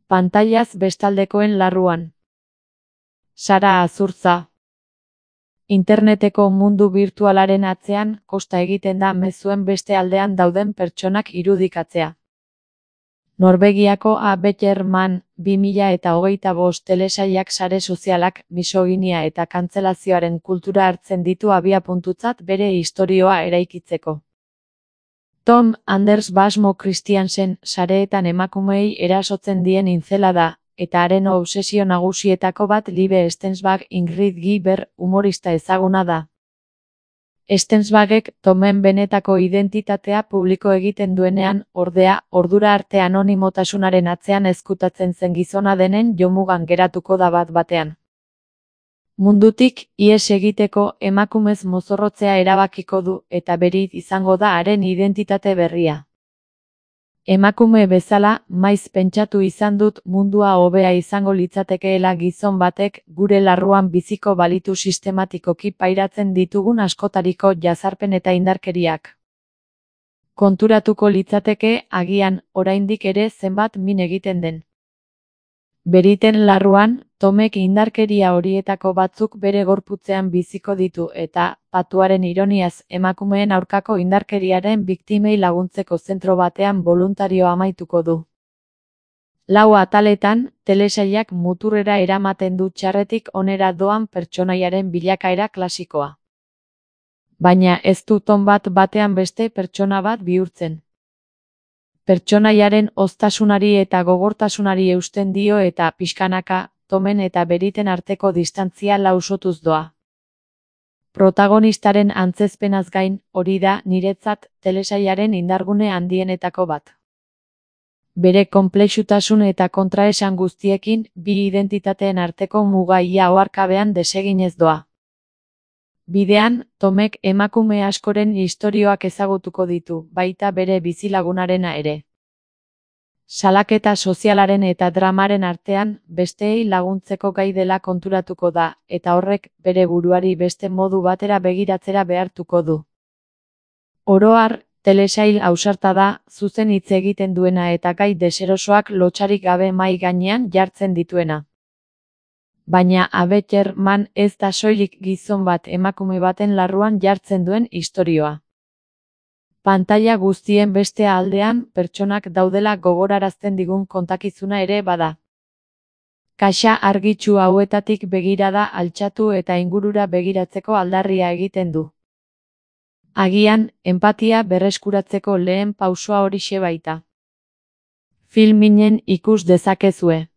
Pantailaz bestaldekoen larruan. Sara Azurtza. Interneteko mundu birtualaren atzean kosta egiten da mezuen beste aldean dauden pertsonak irudikatzea. Norvegiako A Better Man 2025 telesailak sare sozialak misoginia eta kantzelazioaren kultura hartzen ditu abiapuntutzat bere istorioa eraikitzeko. Tom Anders Basmo Christiansen sareetan emakumeei erasotzen dien intzela da, eta haren obsesio nagusietako bat Liebe Stensbach Ingrid Giber humorista ezaguna da. Stensbachek Tomen benetako identitatea publiko egiten duenean, ordea, ordura arte anonimotasunaren atzean ezkutatzen zen gizona denen jomugan geratuko da bat-batean. Mundutik ihes egiteko emakumez mozorrotzea erabakiko du eta berit izango da haren identitate berria. Emakume bezala, maiz pentsatu izan dut mundua hobea izango litzatekeela gizon batek gure larruan biziko balitu sistematikoki pairatzen ditugun askotariko jazarpen eta indarkeriak. Konturatuko litzateke, agian, oraindik ere zenbat min egiten den. Beriten larruan, Tomek indarkeria horietako batzuk bere gorputzean biziko ditu eta, patuaren ironiaz, emakumeen aurkako indarkeriaren biktimei laguntzeko zentro batean boluntario amaituko du. 4 ataletan, telesailak muturrera eramaten du txarretik onera doan pertsonaiaren bilakaera klasikoa. Baina ez du Tom bat batean beste pertsona bat bihurtzen. Pertsonaiaren hoztasunari eta gogortasunari eusten dio eta pixkanaka, Tomen eta Beriten arteko distantzia lausotuz doa. Protagonistaren antzezpenaz gain, hori da, niretzat, telesailaren indargune handienetako bat. Bere konplexutasun eta kontraesan guztiekin, bi identitateen arteko muga ia oharkabean deseginez doa. Bidean, Tomek emakume askoren istorioak ezagutuko ditu, baita bere bizilagunarena ere. Salaketa sozialaren eta dramaren artean, besteei laguntzeko gai dela konturatuko da, eta horrek bere buruari beste modu batera begiratzera behartuko du. Oro har, telesail ausarta da, zuzen hitz egiten duena eta gai deserosoak lotsarik gabe mahai gainean jartzen dituena. Baina A Better Man ez da soilik gizon bat emakume baten larruan jartzen duen istorioa. Pantaila guztien beste aldean pertsonak daudela gogorarazten digun kontakizuna ere bada. Kaxa argitsu hauetatik begirada altxatu eta ingurura begiratzeko aldarria egiten du. Agian, enpatia berreskuratzeko lehen pausoa horixe baita. Filminen ikus dezakezue.